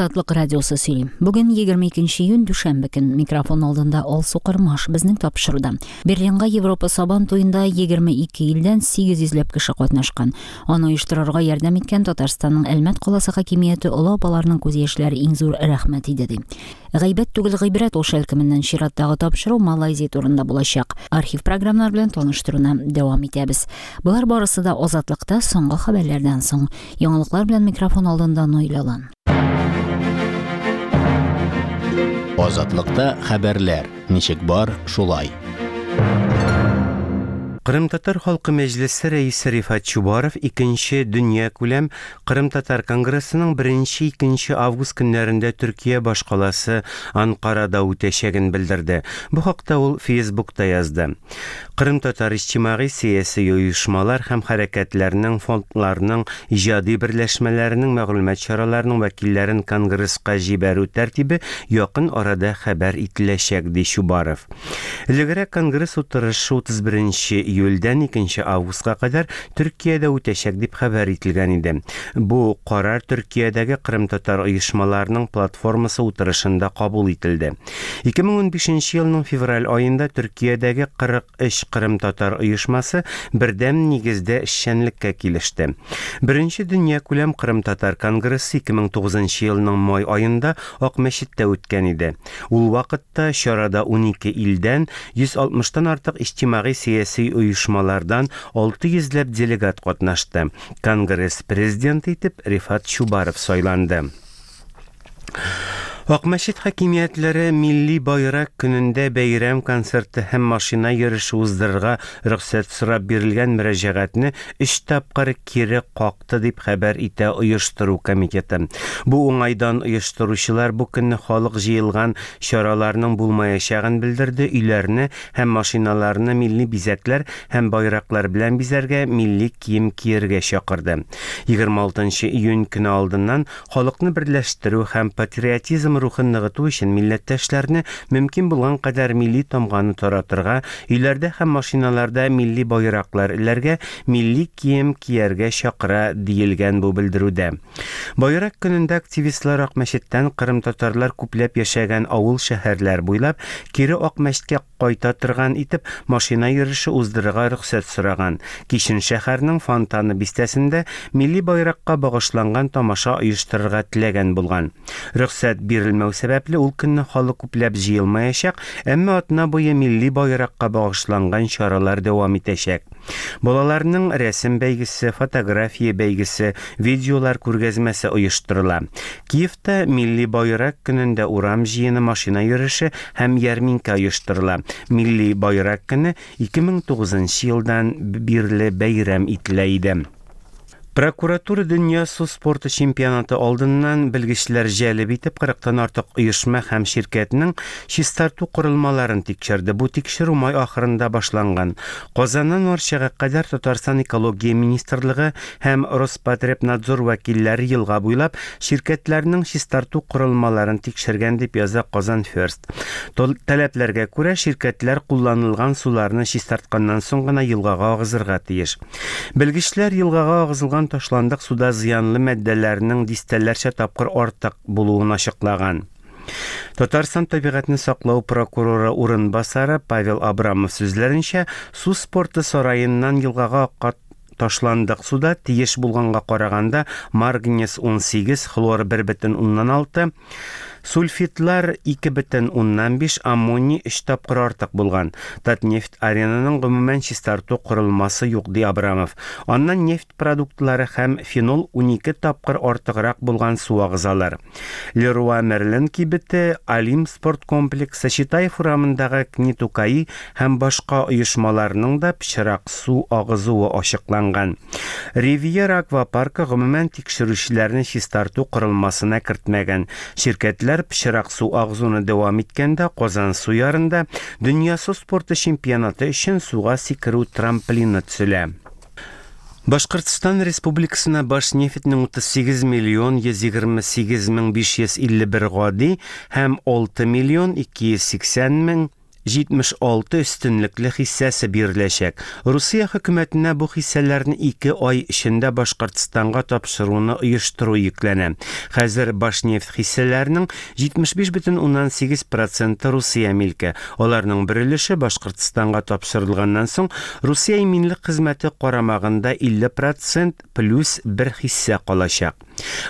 Азатлык радиосы сөйли. Бүген 22 июнь дүшәмбе көн. Микрофон алдында Алсу Кырмаш безнең тапшыруда. Берлинга Европа Сабан туенда 22 илдән 800 ләп кеше катнашкан. Аны оештырырга ярдәм иткән Татарстанның Әлмәт каласы хакимияте олы апаларның күз яшьләре иң зур рәхмәт иде ди. Гайбәт түгел гыйбрәт ул шәлкеменнән чираттагы тапшыру Малайзия турында булачак. Архив програмнар белән таныштыруны дәвам итәбез. Болар барысы да Азатлыкта соңгы хәбәрләрдән соң. Яңалыклар белән микрофон алдында Наилә Алан. Азатлыкта хәбәрләр, ничек бар, шулай. Кырымтатар халкы мәҗлесе рәисе Рифат Чубаров икенче дөньякүләм Кырымтатар конгрессының беренче-икенче август көннәрендә Төркия башкаласы Анкарада үтәчәген белдерде. Бу хакта ул Фейсбукта язды. Кырымтатар иҗтимагый-сәяси оешмалар һәм хәрәкәтләрнең, фондларның, иҗади берләшмәләренең, мәгълүмат чараларының вәкилләрен конгресска җибәрү тәртибе якын арада хәбәр ителәчәк, ди Чубаров. Элегрәк конгресс утырышы 31 нче июльдән 2 нче августка кадәр Төркиядә үтәчәк дип хәбәр ителгән иде. Бу карар Төркиядәге кырымтатар оешмаларының платформасы утырышында кабул ителде. 2015 нче елның февраль аенда Төркиядәге 43 кырымтатар оешмасы бердәм нигездә эшчәнлеккә килеште. Беренче дөньякүләм кырымтатар конгрессы 2009 нчы елның май аенда Акмәчеттә үткән иде. Ул вакытта чарада 12 илдән, 160 тан артык иҗтимагый-сәяси оешмалардан 600 ләп делегат катнашты. Конгресс президенты итеп Рифат Чубаров сайланды. Акмәчет хакимиятләре Милли байрак көнендә бәйрәм концерты һәм машина йөреше уздырырга рөхсәт сорап бирелгән мөрәҗәгатьне өч тапкыр кире какты, дип хәбәр итә оештыру комитеты. Бу уңайдан оештыручылар бу көнне халык җыелган чараларның булмаячагын белдерде, өйләрне һәм машиналарны милли бизәкләр һәм байраклар белән бизәргә, милли кием кияргә чакырды. 26 нчы июнь көне алдыннан Халыкны берләштерү һәм патриотизм рухын ныгыту өчен милләттәшләрне мөмкин булган кадәр милли тамганы таратырга, өйләрдә һәм машиналарда милли байраклар эләргә, милли кием кияргә чакыра, диелгән бу белдерүдә. Байрак көнендә активистлар Акмәчеттән кырымтатарлар күпләп яшәгән авыл-шәһәрләр буйлап кире Акмәчеткә кайта торган итеп машина йөреше уздырырга рөхсәт сораган. Кичен шәһәрнең Фонтаны бистәсендә милли байракка багышланган тамаша оештырырга теләгән булган. Рөхсәт бирелмәү сәбәпле, ул көнне халык күпләп җыелмаячак, әмма атна буе милли байракка багышланган чаралар дәвам итәчәк. Балаларның рәсем бәйгесе, фотография бәйгесе, видеолар күргәзмәсе оештырыла. Киевта Милли байрак көнендә урам җыены, машина йөреше һәм ярминкә оештырыла. Милли байрак көне 2009 нчы елдан бирле бәйрәм ителә иде. Прокуратура дөнья су спорты чемпионаты алдыннан белгечләр җәлеп итеп кырыктан артык оешма һәм ширкәтнең чистарту корылмаларын тикшерде. Бу тикшерү май ахырында башланган. Казаннан Арчага кадәр Татарстан Экология министрлыгы һәм Роспотребнадзор вәкилләре елга буйлап ширкәтләрнең чистарту корылмаларын тикшергән, дип яза Казан Ферст. Таләпләргә күрә, ширкәтләр кулланылган суларны чистартканнан соң гына елгага агызырга тиеш. Белгечләр елгага агызылган ташландык суда зыянлы матдәләрнең дистәләрчә тапкыр артык булуын ачыклаган. Татарстан табигатьне саклау прокуроры урынбасары Павел Абрамов сүзләренчә, су спорты сараеннан елгага аккан ташландык суда тиеш булганга караганда марганец 18, хлор 1,6, Сульфидлар 2,5, аммоний өч тапкыр артык булган. Татнефть-Аренаның гомумән чистарту корылмасы юк, ди Абрамов. Аннан нефть продуктлары һәм фенол 12 тапкыр артыграк булган су агызалар. Леруа Мерлен кибете, Олимп спорт комплексы, Читаев урамындагы КНИТУ-КАИ һәм башка оешмаларның да пычрак су агызуы ачыкланган. Ривьера аквапаркы гомумән тикшерүчеләрне чистарту корылмасына кертмәгән. Ширкәтләр пычрак су агызуны дәвам иткәндә Казансу ярында Дөнья су спорты чемпионаты өчен суга сикерү трамплины төзелә. Башкортстан Республикасына Башнефтьнең 38 миллион 128 мең 551 гади һәм 6 миллион 280 мең 76 өстенлекле хиссәсе биреләчәк. Русия хөкүмәтенә бу хиссәләрне 2 ай эчендә Башкортстанга тапшыруны оештыру йөкләнә. Хәзер Башнефть хиссәләренең 75,8 проценты Русия милке. Аларның бер өлеше Башкортстанга тапшырылганнан соң Русия иминлек хезмәте карамагында 50 процент плюс бер хиссә калачак.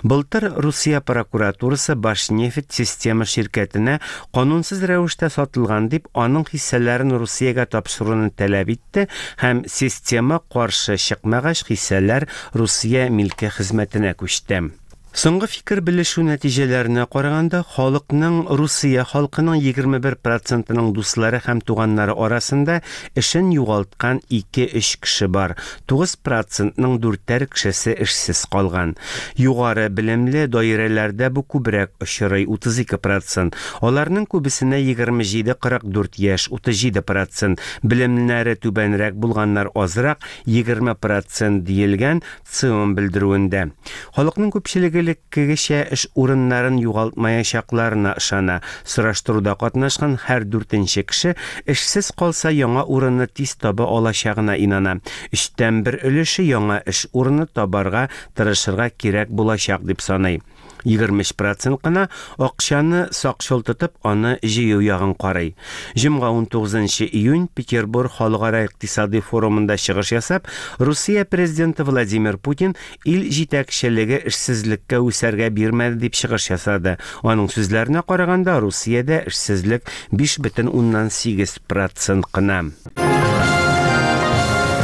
Былтыр Русия прокуратурасы Башнефть система ширкәтенә канунсыз рәвештә сатылган дип, аның хиссәләрен Русиягә тапшыруны таләп итте һәм система каршы чыкмагач, хиссәләр Русия милке хезмәтенә күчте. Соңгы фикер белешү нәтиҗәләренә караганда, халыкның Русия халкының 21 процентының дуслары һәм туганнары арасында эшен югалткан 2-3 кеше бар. 9 процентның дүртәр кешесе эшсез калган. Югары белемле даирәләрдә бу күбрәк очрый, 32 процент. Аларның күбесенә 27-44 яшь, 37 процент. Белемнәре түбәнрәк булганнар азрак, 20 процент диелгән ЦИОМ белдерүендә. Халыкның күпчелеге элеккегечә эш урыннарын югалтмаячакларына ышана. Сораштыруда катнашкан һәр дүртенче кеше эшсез калса яңа урынны тиз таба алачагына инана. Өчтән бер өлеше яңа эш урыны табарга тырышырга кирәк булачак дип саный. 23 процент кына акчаны сакчыл тотып, аны җыю ягын карый. Җомга 19 июнь Петербург халыкара икътисади форумында чыгыш ясап, Русия президенты Владимир Путин ил җитәкчелеге эшсезлеккә үсәргә бирмәде дип чыгыш ясады. Аның сүзләренә караганда, Русиядә эшсезлек 5,8 процент кына.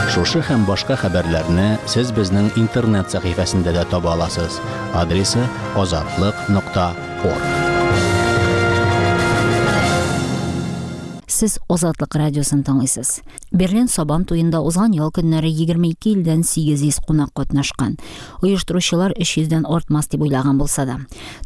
Шушы һәм башка хәбәрләрне сез безнең интернет сәхифәсендә дә таба аласыз. Адресы азатлык.орг. Сез Азатлык радиосын тыңлыйсыз. Берлин Сабан туенда узган ял көннәре 22 илдән 800 кунак катнашкан. Оештыручылар 300дән артмас дип уйлаган булса да.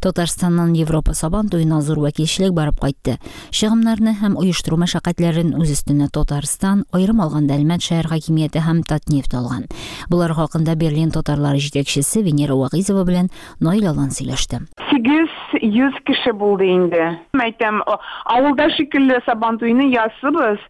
Татарстаннан Европа Сабан туена зур вәкилчелек барып кайтты. Чыгымнарны һәм оештыру мәшәкатьләрен үз өстенә Татарстан, аерым алганда Әлмәт шәһәр хакимияте һәм Татнефть алган. Болар хакында Берлин татарлары җитәкчесе Венера Вагизова белән Наил Алан сөйләште. 800 кеше булды инде. Әйтәм, авылда шикелле Сабантуйны ясыбыз.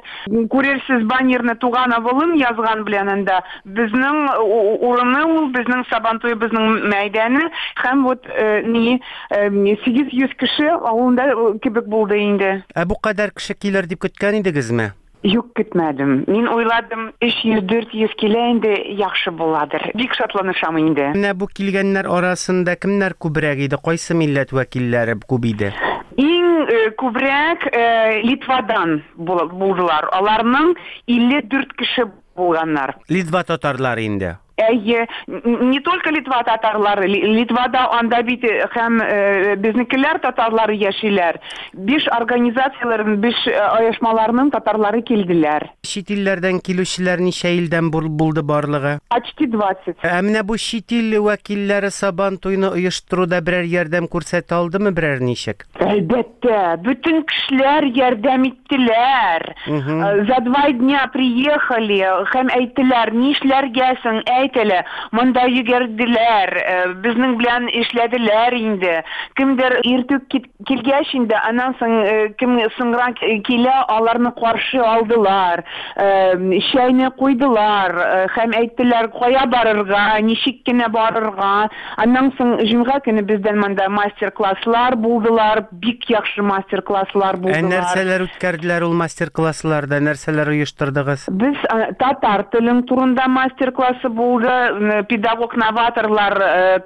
Күрерсез баннерны туган авылым язган белән анда. Безнең урыны ул, безнең Сабантуебызның мәйданы һәм вот ни 800 кеше авылында кебек булды инде. Ә бу кадәр кеше килер дип көткән идегезме? Юк, көтмәдем. Мин уйладым, 300-400 килә инде, яхшы буладыр. Бик шатланышам инде. Менә бу килгәннәр арасында кемнәр күбрәк иде? Кайсы милләт вәкилләре күп иде? Иң күбрәк Литвадан булдылар. Аларның 54 кеше булганнар. Литва татарлары инде. Әйе, не только Литва татарлары, Литвада анда бит һәм безнекеләр татарлары яшиләр. Биш организацияләрнең, биш оешмаларның татарлары килделәр. Чит илләрдән килүчеләр ничә илдән булды барлыгы? Почти 20. Ә менә бу чит ил вәкилләре Сабан туйны оештыруда берәр ярдәм күрсәтә алдымы, берәр ничек? Әлбәттә, бөтен кешеләр ярдәм иттеләр. За 2 дня приехали, һәм әйттеләр, нишләргә соң, әйт әле. Монда йөгерделәр, безнең белән эшләделәр инде. Кемдер иртүк килгәч инде, аннан соң кем соңрак килә, аларны каршы алдылар, чәйне куйдылар, һәм әйттеләр, кая барырга, ничек кенә барырга. Аннан соң җомга көне бездән монда мастер-класслар булдылар, бик яхшы мастер-класслар Ә булдылар. нәрсәләр үткәрделәр ул мастер-классларда, нәрсәләр оештырдыгыз? Без татар телен турында мастер-классы булды, педагог-новаторлар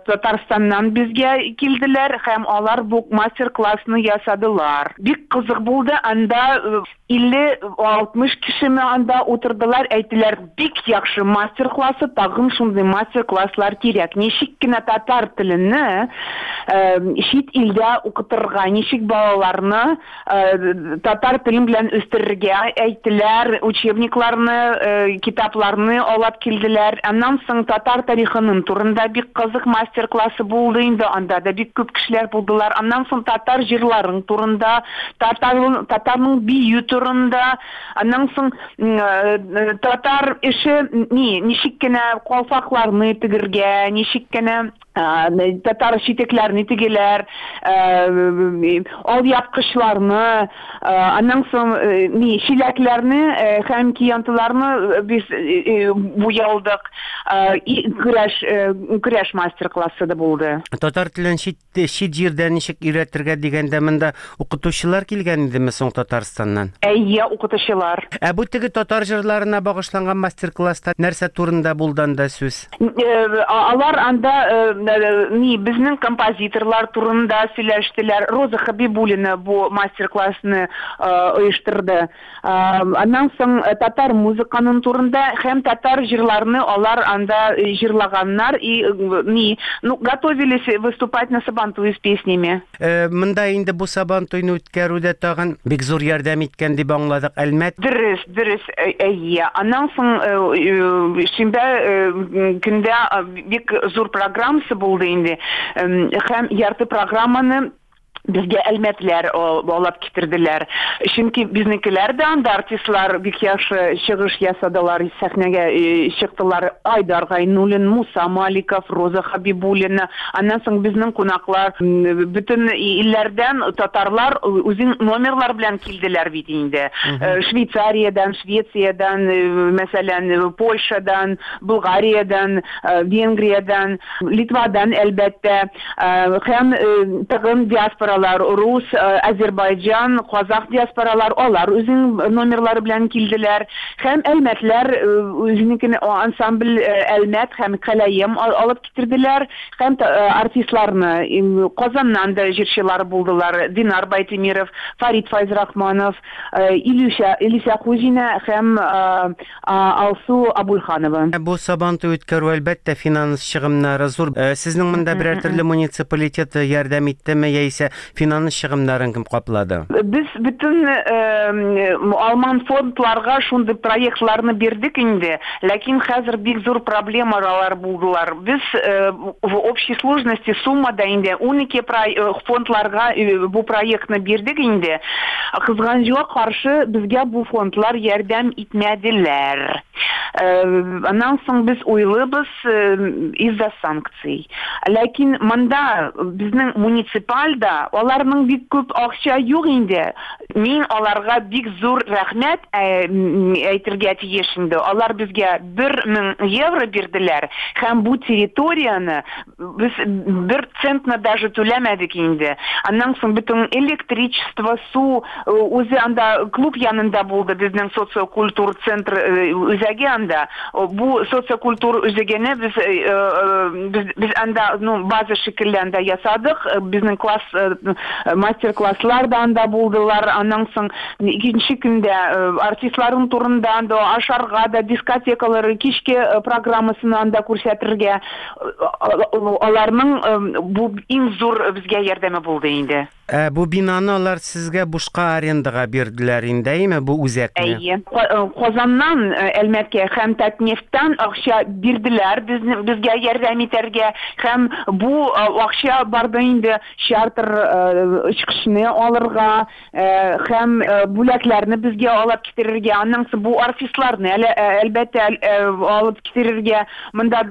Татарстаннан безгә килделәр һәм алар бу мастер-классны ясадылар. Бик кызык булды, анда 50-60 кешеме анда утырдылар, әйттеләр, бик яхшы мастер-классы, тагын шундый мастер-класслар кирәк. Ничек кенә татар телене чит илдә укытырга, ничек балаларны татар телен белән үстерергә әйттеләр, учебникларны, китапларны алып килделәр. Аннан соң татар тарихының турында бик кызык мастер-классы булды инде, анда да бик күп кешеләр булдылар. Аннан соң татар җырларын турында, татарның бию турында, аннан соң татар эше ни, ничек кенә калфакларны тегергә, ничек кенә Татар читекләрне тегеләр, алъяпкычларны, аннан соң ни чиләкләрне һәм киянтыларны без буялдык. Көрәш көрәш мастер-классы да булды. Татар телен чит чит җирдә ничек өйрәтергә дигәндә монда укытучылар килгән идеме соң Татарстаннан? Әйе, укытучылар. Ә бу теге татар җырларына багышланган мастер-класста нәрсә турында булды анда сүз? Алар анда ни безнең композиторлар турында сөйләштеләр. Роза Хабибуллина бу мастер-классны оештырды. Аннан соң татар музыканың турында һәм татар җырларны алар анда җырлаганнар и ни ну готовились выступать на Сабантуе с песнями. Монда инде бу Сабантуйны үткәрүдә тагын бик зур ярдәм иткән дип аңладык Әлмәт. Дөрес, дөрес, әйе. Аннан соң шимбә көндә бик зур программасы булды инде. Һәм ярты программаны безгә әлмәтләр алып китерделәр. Чөнки безнекеләр дә анда артистлар бик яхшы чыгыш ясадылар, сәхнәгә чыктылар. Айдар Гайнуллин, Муса Маликов, Роза Хабибуллина. Аннан соң безнең кунаклар бөтен илләрдән татарлар үзен номерлар белән килделәр бит инде. Швейцариядән, Швециядән, мәсәлән, Польшадан, Булгариядән, Венгриядән, Литвадан, әлбәттә, һәм тагын диаспоралар, рус, азербайҗан, казах диаспоралар, алар үзенең номерлары белән килделәр. Һәм әлмәтләр үзенекен ансамбль Әлмәт һәм Кәләем алып китерделәр. Һәм артистларны Казаннан да җырчылар булдылар. Динар Байтимиров, Фарид Файзрахманов, Илюша, Илюся Хуҗина һәм Алсу Абульханова. Бу Сабантуй үткәрү, әлбәттә, финанс чыгымнары зур. Сезнең монда берәр төрле муниципалитет ярдәм иттеме яисә финанс чыгымнарын кем каплады? Без бөтен алман фондларга шундый проектларны бирдек инде, ләкин хәзер бик зур проблемалар булдылар. Без в общей сложности суммада инде 12 фондларга бу проектны бирдек инде. Кызганычка каршы, безгә бу фондлар ярдәм итмәделәр. Аннан соң без уйлыйбыз из-за санкций. Ләкин монда безнең муниципальда аларның бик күп акча юк инде. Мин аларга бик зур рәхмәт әйтергә тиеш инде. Алар безгә 1000 евро бирделәр һәм бу территорияне без бер центны даже түләмәдек инде. Аннан соң бөтен электричество, су үзе анда клуб янында булды безнең социокультур центр үзәге анда. Бу социокультур үзәгене без без, без анда ну база шикелле анда ясадык. Безнең класс мастер-класслар да анда булдылар. Аннан соң икенче көндә артистларның турында анда ашарга да дискотекалар, кичке программасын анда күрсәтергә аларның бу иң зур безгә ярдәме булды инде. Ә бу бинаны алар сезгә бушка арендага бирделәр инде, әйеме, бу үзәкне? Әйе. Казаннан Әлмәткә һәм Татнефтьтән акча бирделәр безне безгә ярдәм итәргә һәм бу акча барды инде чартер очкычны алырга һәм бүләкләрне безгә алып китерергә, аннан соң бу артистларны әлбәттә алып китерергә, монда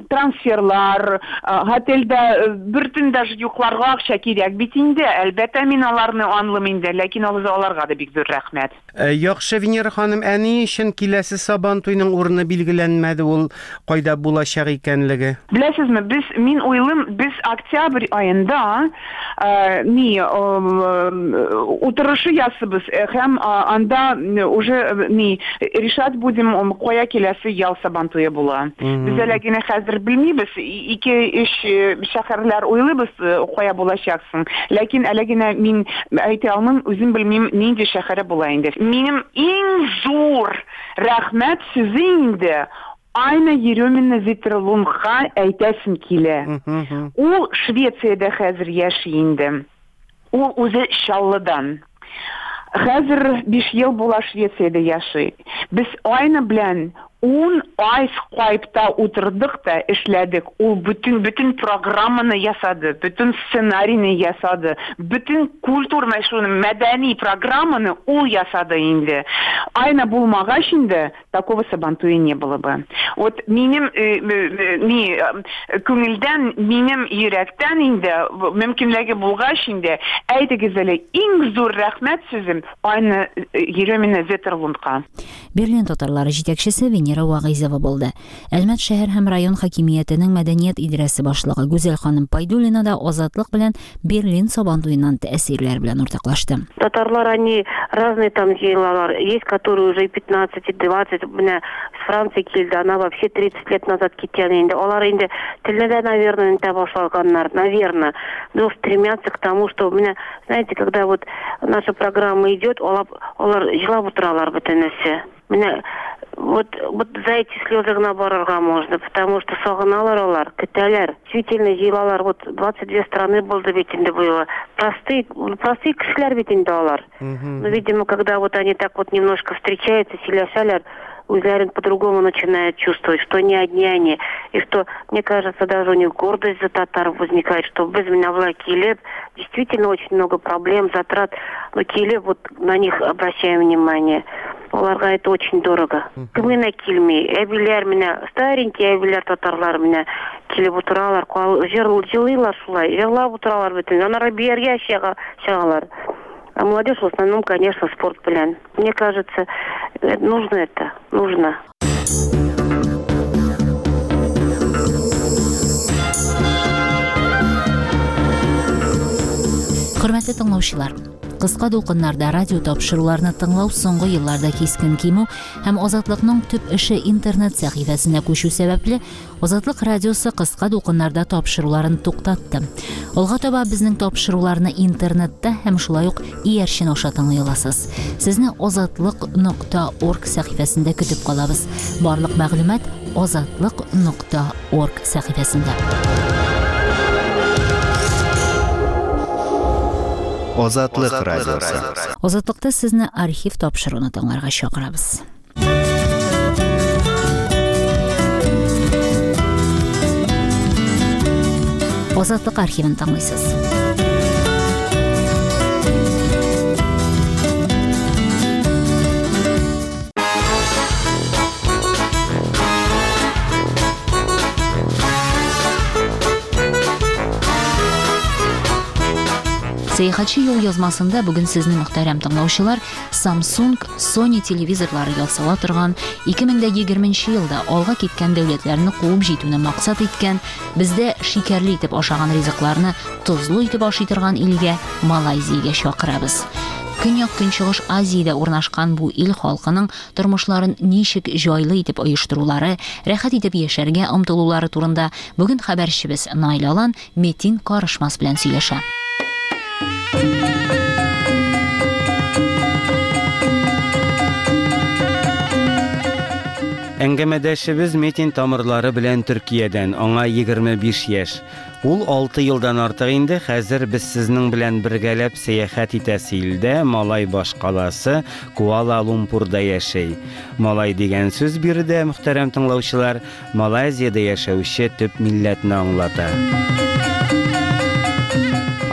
трансферлар, отельдә бер төн даже йокларга акча кирәк бит инде. Әлбәттә, мин аларны аңлыйм инде, ләкин аларга да бик зур рәхмәт. Яхшы, Венера ханым, ә ни өчен киләсе Сабантуйның урыны билгеләнмәде, ул кайда булачак икәнлеге? Беләсезме, без мин уйлыйм, без октябрь аенда ни утырышы ясыйбыз һәм анда уже ни решать будем, кая киләсе ял Сабантуе була. Без әле генә хәзер белмибез, ике-өч шәһәрләр уйлыйбыз, кая булачаксың. Ләкин әле генә мин әйтә алмыйм, үзем белмим, нинди шәһәре була инде. Минем иң зур рәхмәт сүзе инде Айна Еремина Зиттерлундка әйтәсем килә. Ул Швециядә хәзер яши инде. Ул үзе Чаллыдан. Хәзер 5 ел була Швециядә яши. Без Айна белән 10 ай скайпта утырдык та эшләдек. Ул бөтен бөтен программаны ясады, бөтен сценарийны ясады, бөтен культурный шуны мәдәни программаны ул ясады инде. Айна булмагач инде, такого Сабантуя не было бы. Вот минем ни күңелдән, минем йөрәктән инде, мөмкинлеге булгач инде, әйдәгез әле, иң зур рәхмәт сүзем Айна Еремина Ветерлундка. Берлин татарлары җитәкчесе Венера Вагыйзова булды. Әлмәт шәһәр һәм район хакимиятенең мәдәният идарәсе башлыгы Гүзәл ханым Пайдуллина да Азатлык белән Берлин Сабантуеннан тәэсирләр белән уртаклашты. Татарлар, они разные там җыелалар. Есть, которые уже и 15, и 20, менә с Франции килде, она вообще 30 лет назад киткән инде. Алар инде телне дә, наверное, оныта башлаганнар, наверное. Но стремятся к тому, что, менә, знаете, когда вот наша программа идет, алар, алар җылап утыралар бөтенесе. Менә вот, вот за эти слезы гына барырга можно, потому что сагыналар алар, көтәләр. Действительно җыелалар, вот 22 страны булды бит инде быел. Простые, простые кешеләр бит инде алар. Но, видимо, когда вот они так вот немножко встречаются, сөйләшәләр, үзләрен по-другому начинают чувствовать, что не одни они. И что, мне кажется, даже у них гордость за татар возникает, что без менә болай килеп, действительно очень много проблем, затрат, но килеп, вот на них обращаем внимание. Аларга это очень дорого. Кем генә килми, әбиләр менә, старенький әбиләр татарлар менә килеп утыралар, җылыйлар шулай, җырлап утыралар бөтен. Аннары биергә чыгалар. А молодежь в основном, конечно, спорт белән. Мне кажется, нужно это, нужно. Хөрмәтле тыңлаучылар, кыска дулкыннарда радио тапшыруларны тыңлау соңгы елларда кискен кимү һәм Азатлыкның төп эше интернет сәхифәсенә күчү сәбәпле, Азатлык радиосы кыска дулкыннарда тапшыруларын туктатты. Алга таба безнең тапшыруларны интернетта һәм шулай ук иярчен аша тыңлый аласыз. Сезне азатлык.орг сәхифәсендә көтеп калабыз. Барлык мәгълүмат азатлык.орг сәхифәсендә. Азатлык радиосы. Азатлыкта сезне архив тапшыруны тыңларга чакырабыз. Азатлык архивын тыңлыйсыз. Сәяхәтче юл язмасында бүген сезне мөхтәрәм тыңлаучылар Samsung, Sony телевизорлары ясала торган 2020 елда алга киткән дәүләтләрне куып җитүне максат иткән, бездә шикәрле итеп ашаган ризыкларны тозлы итеп ашый торган илгә Малайзиягә чакырабыз. Көньяк-Көнчыгыш Азиядә урнашкан бу ил халкының тормышларын ничек җайлы итеп оештырулары, рәхәт итеп яшәргә омтылулары турында бүген хәбәрчебез Наил Алан Метин Карышмас белән сөйләшә. Әңгәмәдәшебез Метин тамырлары белән Төркиядән, аңа 25 яшь. Ул 6 елдан артык инде хәзер без сезнең белән бергәләп сәяхәт итәсе илдә, Малай башкаласы Куала-Лумпурда яши. Малай дигән сүз биредә, мөхтәрәм тыңлаучылар, Малайзиядә яшәүче төп милләтне аңлата.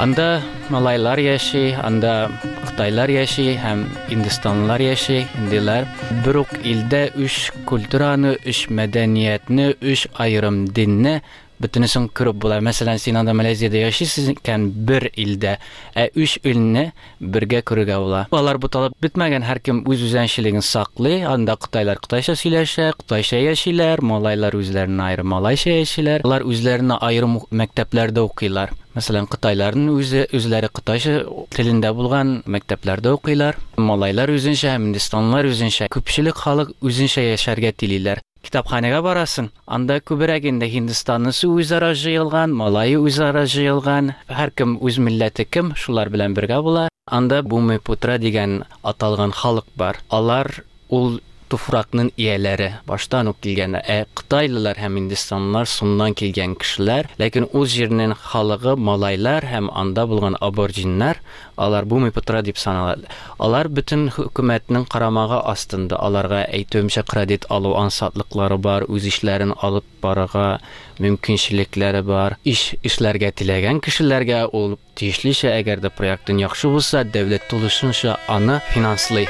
Анда малайлар яши, анда кытайлар яши һәм индистанлылар яши, индилар. Бер үк илдә өч культураны, өч мәдәниятне, өч аерым динне бөтенесен күреп була. Мәсәлән, син анда Малайзиядә яшисең икән бер илдә, ә өч илне бергә күрергә була. Алар буталып бетмәгән, һәркем үз үзенчәлеген саклый. Анда кытайлар кытайча сөйләшә, кытайча яшиләр, малайлар үзләренә аерым малайча яшиләр. Алар үзләренә аерым мәктәпләрдә укыйлар. Мәсәлән, кытайларның үзе үзләре кытайча телендә булган мәктәпләрдә укыйлар. Малайлар үзенчә һәм һиндстанлылар үзенчә. Күпчелек халык үзенчә яшәргә телиләр. Китапханәгә барасың, анда күбрәк инде Һиндстаннысы үзара җыелган, малае үзара җыелган, һәркем үз милләте кем, шулар белән бергә була. Анда Бумипутра дигән аталган халык бар. Алар ул туфракның ияләре, баштан ук килгән. Ә кытайлылар һәм һиндстанлылар суннан килгән кешеләр, ләкин ул җирнең халыгы малайлар һәм анда булган аборджиннар, алар Бумипутра дип санала. Алар бөтен хөкүмәтнең карамагы астында, аларга әйтүемчә кредит алу ансатлыклары бар, үз эшләрен алып барырга мөмкинчелекләре бар. Иш эшләргә теләгән кешеләргә ул тиешлечә, әгәр дә проектын яхшы булса, дәүләт тулысынча аны финанслый.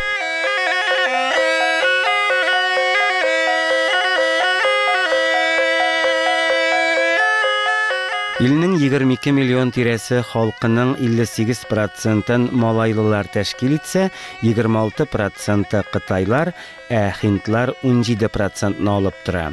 Илнең 22 миллион тирәсе халкының 58 процентын малайлылар тәшкил итсә, 26 проценты кытайлар, ә һиндлар 17 процентны алып тора.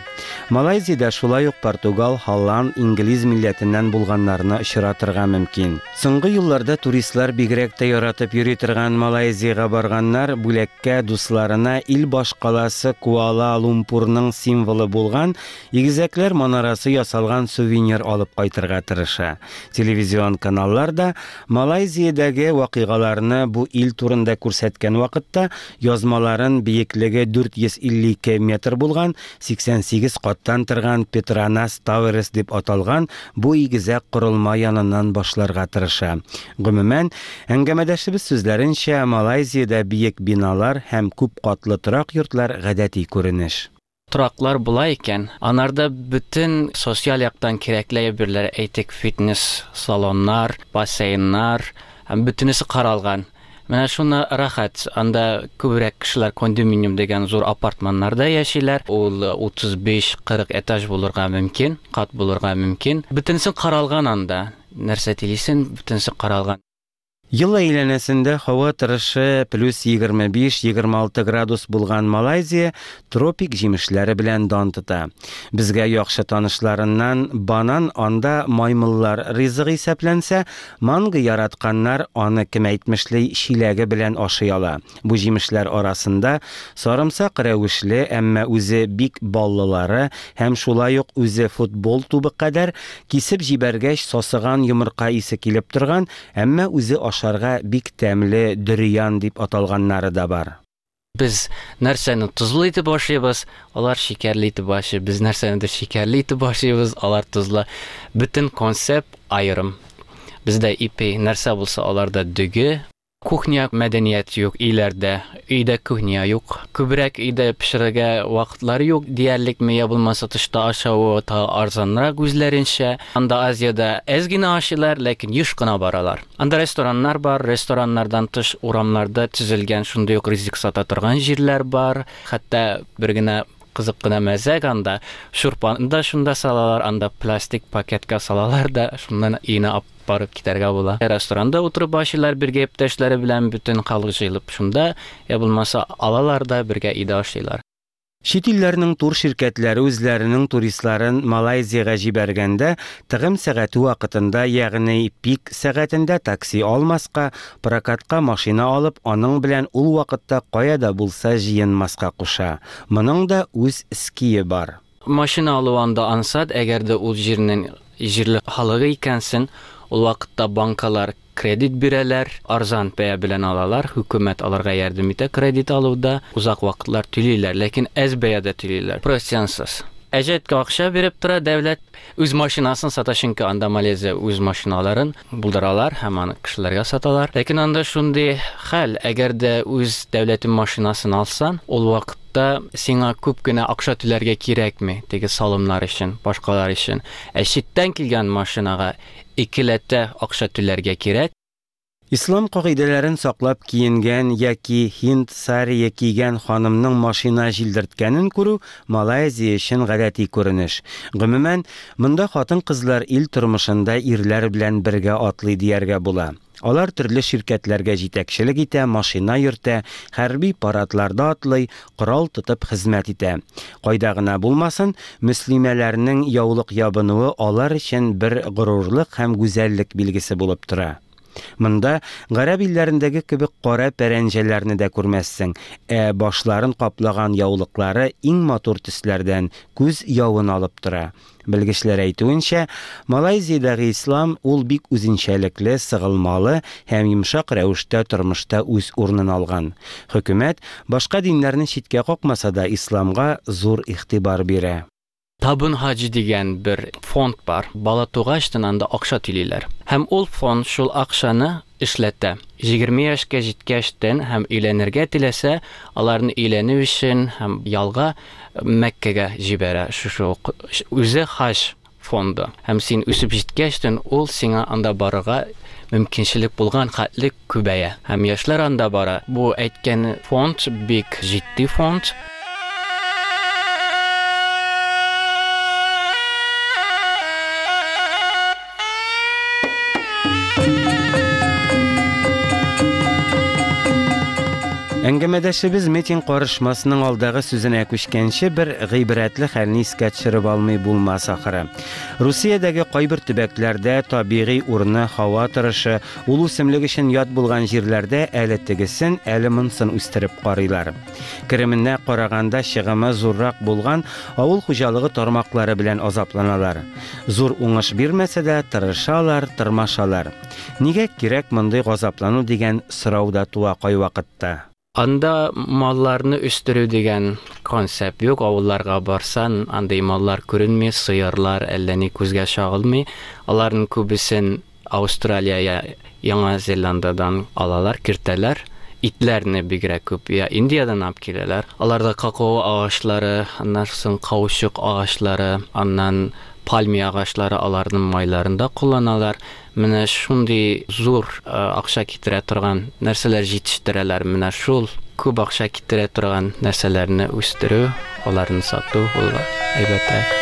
Малайзиядә шулай ук португал, һолланд, инглиз милләтеннән булганнарны очратырга мөмкин. Соңгы елларда туристлар бигрәк тә яратып йөри торган Малайзиягә барганнар бүләккә дусларына ил башкаласы Куала-Лумпурның символы булган Игезәкләр манарасы ясалган сувенир алып кайтырга тырыша. Телевизион каналлар да Малайзиядәге вакыйгаларны бу ил турында күрсәткән вакытта язмаларын биеклеге 452 метр булган 88 каттан торган Петронас Тауэрс дип аталган бу игезәк корылма яныннан башларга тырыша. Гомумән, әңгәмәдәшебез сүзләренчә, Малайзиядә биек биналар һәм күп катлы торак йортлар гадәти күренеш. Тораклар була икән, анарда бөтен социаль яктан кирәкле әйберләр, әйтик, фитнес салоннар, бассейннар, һәм бөтенесе каралган. Менә шуны рәхәт, анда күбрәк кешеләр кондоминиум дигән зур апартманнарда яшиләр. Ул 35-40 этаж булырга мөмкин, кат булырга мөмкин. Бөтенесе каралган анда. Нәрсә телисең, бөтенесе каралган. Ел әйләнәсендә һава торышы плюс 25-26 градус булган Малайзия тропик җимешләре белән дан тота. Безгә яхшы танышларыннан банан анда маймыллар ризыгы исәпләнсә, манго яратканнар аны кем әйтмешли чиләге белән ашый ала. Бу җимешләр арасында сарымсак рәвешле, әмма үзе бик баллылары һәм шулай ук үзе футбол тубы кадәр кисеп җибәргәч сасыган йомырка исе килеп торган, әмма үзе ашарга бик тәмле дөриан дип аталганнары да бар. Без нәрсәне тозлы итеп ашыйбыз, алар шикәрле итеп ашый. Без нәрсәнедер шикәрле итеп ашыйбыз, алар тозлы. Бөтен концепт аерым. Бездә ипи нәрсә булса, аларда дөге. Кухня мәдәният юк өйләрдә. Өйдә кухня юк. Күбрәк өйдә пешерергә вакытлары юк диярлекме, я булмаса тышта ашавы тагы арзанрак үзләренчә. Анда Азиядә әз генә ашыйлар, ләкин еш кына баралар. Анда рестораннар бар, рестораннардан тыш урамнарда төзелгән шундый ук ризык сата торган җирләр бар. Хәтта бер генә кызык кына мәзәк анда шурпаны да шунда салалар, анда пластик пакетка салалар да, шуннан өенә алып барып китәргә була. Ресторанда утырып ашыйлар бергә иптәшләре белән бөтен халык җыелып шунда, я булмаса алалар да бергә өйдә ашыйлар. Чит илләрнең тур ширкәтләре үзләренең туристларын Малайзиягә җибәргәндә, тыгым сәгате вакытында, ягъни пик сәгатендә такси алмаска, прокатка машина алып, аның белән ул вакытта кая да булса җыенмаска куша. Моның да үз ские бар. Машина алу анда ансат, әгәр дә ул җирнең җирле халыгы икәнсең, ул вакытта банкалар кредит бирәләр, арзан бәя белән алалар, хөкүмәт аларга ярдәм итә кредит алуда, узак вакытлар түлиләр, ләкин әз бәядә түлиләр, процентсыз. Әҗәткә акча биреп тора дәүләт, үз машинасын сата, чөнки анда Малайзия үз машиналарын булдыралар һәм аны кешеләргә саталар. Ләкин анда шундый хәл, әгәр дә үз дәүләтең машинасын алсаң, ул вакытта сиңа күп кенә акча түләргә кирәкми, теге салымнар өчен, башкалар өчен. Ә читтән килгән машинага икеләтә акча түләргә кирәк. Ислам кагыйдәләрен саклап киенгән яки һинд сарие кигән ханымның машина җилдерткәнен күрү Малайзия өчен гадәти күренеш. Гомумән, монда хатын-кызлар ил тормышында ирләр белән бергә атлый дияргә була. Алар төрле ширкәтләргә җитәкчелек итә, машина йөртә, хәрби парадларда атлый, корал тотып хезмәт итә. Кайда гына булмасын, мөслимәләрнең яулык ябынуы алар өчен бер горурлык һәм гүзәллек билгесе булып тора. Монда гарәп илләрендәге кебек кара пәрәнҗәләрне дә күрмәссең, ә башларын каплаган яулыклары иң матур төсләрдән күз явын алып тора. Белгечләр әйтүенчә, Малайзиядәге ислам ул бик үзенчәлекле, сыгылмалы һәм йомшак рәвештә тормышта үз урынын алган. Хөкүмәт башка диннәрне читкә какмаса да исламга зур игътибар бирә. Табын хаҗи дигән бер фонд бар. Бала тугачтан анда акча түлиләр. Һәм ул фонд шул акчаны эшләтә. 20 яшькә җиткәчтән һәм өйләнергә теләсә, аларны өйләнү өчен һәм ялга Мәккәгә җибәрә. Шушы үзе хаҗ фонды. Һәм син үсеп җиткәчтән ул сиңа анда барырга мөмкинчелек булган хәтле күбәя. Һәм яшьләр анда бара. Бу әйткән фонд бик җитди фонд. Әңгәмәдәшебез Метин Карышмасның алдагы сүзенә күчкәнче бер гыйбрәтле хәлне искә төшереп алмый булмас ахыры. Русиядәге кайбер төбәкләрдә табигый урыны, һава торышы, ул үсемлек өчен ят булган җирләрдә әле тегесен, әле монсын үстереп карыйлар. Кеременә караганда чыгымы зуррак булган авыл хуҗалыгы тармаклары белән азапланалар. Зур уңыш бирмәсә дә, тырышалар, тырмашалар. Нигә кирәк мондый газаплану дигән сорау да туа кайвакытта. Анда малларны үстерү дигән концепт юк. Авылларга барсан, андый маллар күренми, сыерлар әллә ни күзгә чагылмый. Аларның күбесен Аустралия я Яңа Зеландадан алалар, кертәләр. Итләрне бигрәк күп я Индиядән алып киләләр. Аларда какао агачлары, аннан соң каучук агачлары, аннан пальмия агачлары, аларның майларын да кулланалар. Менә шундый зур акча китерә торган нәрсәләр җитештерәләр. Менә шул күп акча китерә торган нәрсәләрне үстерү, аларны сату ул әйбәтрәк.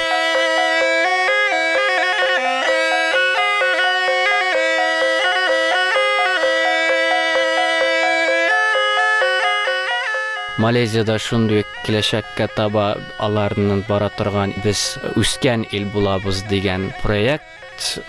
Малайзиядә шундый киләчәккә таба аларның бара торган без үскән ил булабыз дигән проект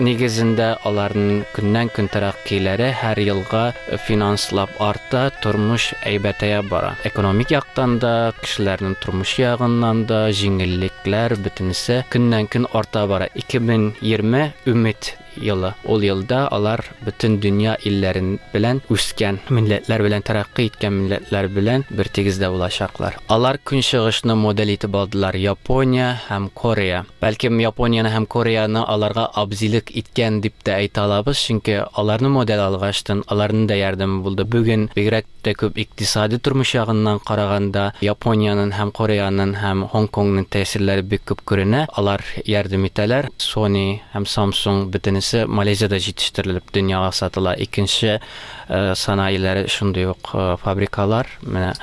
нигезендә аларның көннән-көн тәрәккыйләре һәр елга финанслап арта, тормыш әйбәтәя бара. Экономик яктан да, кешеләрнең тормыш ягыннан да җиңеллекләр бөтенесе көннән-көн арта бара. 2020 өмет елы. Ул елда алар бөтен дөнья илләрен белән үскән милләтләр белән тәрәккый иткән милләтләр белән бер тигездә булачаклар. Алар көнчыгышны модель итеп алдылар, Япония һәм Корея. Бәлкем Японияне һәм Кореяны аларга абзилек иткән дип тә әйтә алабыз, чөнки аларны модель алгачтын, аларның да ярдәме булды. Бүген бигрәк тә күп икътисади тормыш ягыннан караганда, Япониянең һәм Кореянең һәм Һонконгның тәэсирләре бик күп күренә. Алар ярдәм итәләр. Sony һәм Samsung бөтенесе Малайзиядә җитештерелеп дөньяга сатыла. Икенче санаиләре шундый ук фабрикалар. Менә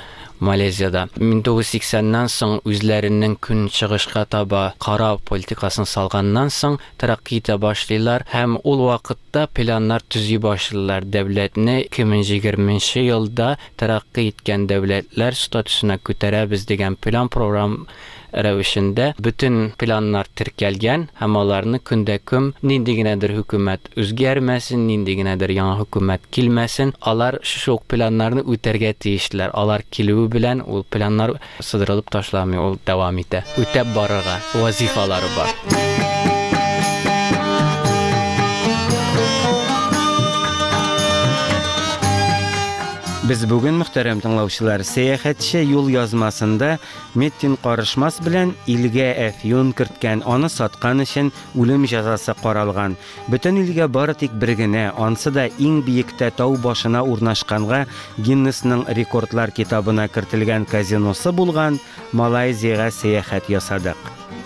Малайзиядә. 1980-нән соң үзләренең көнчыгышка таба карау политикасын салганнан соң тәрәкъкый итә башлыйлар һәм ул вакытта планнар төзи башлыйлар. Дәүләтне 2020 елда тәрәкъкый иткән дәүләтләр статусына күтәрәбез дигән план-програм рәвешендә бөтен планнар теркәлгән һәм аларны көндә-көн нинди генәдер хөкүмәт үзгәрмәсен, нинди генәдер яңа хөкүмәт килмәсен, алар шушы ук планнарны үтәргә тиешләр. Алар килүе белән ул планнар сыдырылып ташламый, ул дәвам итә. Үтәп барырга вазифалары бар. Без бүген, мөхтәрәм тыңлаучылар, сәяхәтче юл язмасында Меттин Карышмас белән илгә әфьюн керткән, аны саткан өчен үлем җәзасы каралган. Бөтен илгә бары тик бер генә, ансы да иң биектә тау башына урнашканга Гиннесның рекордлар китабына кертелгән казиносы булган Малайзиягә сәяхәт ясадык.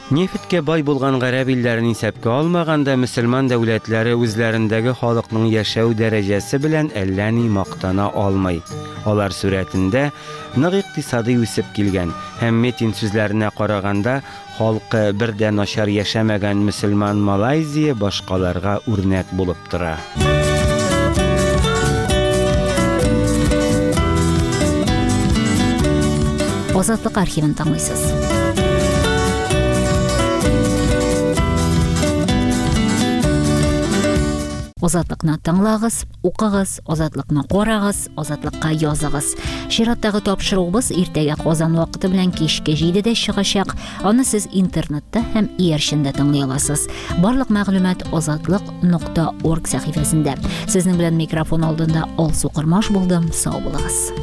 Нефтькә бай булган гарәп илләрен исәпкә алмаганда, мөселман дәүләтләре үзләрендәге халыкның яшәү дәрәҗәсе белән әллә ни мактана алмый. Алар сурәтендә нык икътисадый үсеп килгән һәм Метин сүзләренә караганда, халкы бер дә начар яшәмәгән мөселман Малайзия башкаларга үрнәк булып тора. Азатлык архивын тыңлыйсыз. Азатлыкны тыңлагыз, укыгыз, Азатлыкны карагыз, Азатлыкка языгыз. Чираттагы тапшыруыбыз иртәгә Казан вакыты белән кичке 7-дә чыгачак. Аны сез интернетта һәм иярчендә тыңлый аласыз. Барлык мәгълүмат азатлык.орг сәхифәсендә. Сезнең белән микрофон алдында Алсу Кормаш булдым. Сау булыгыз.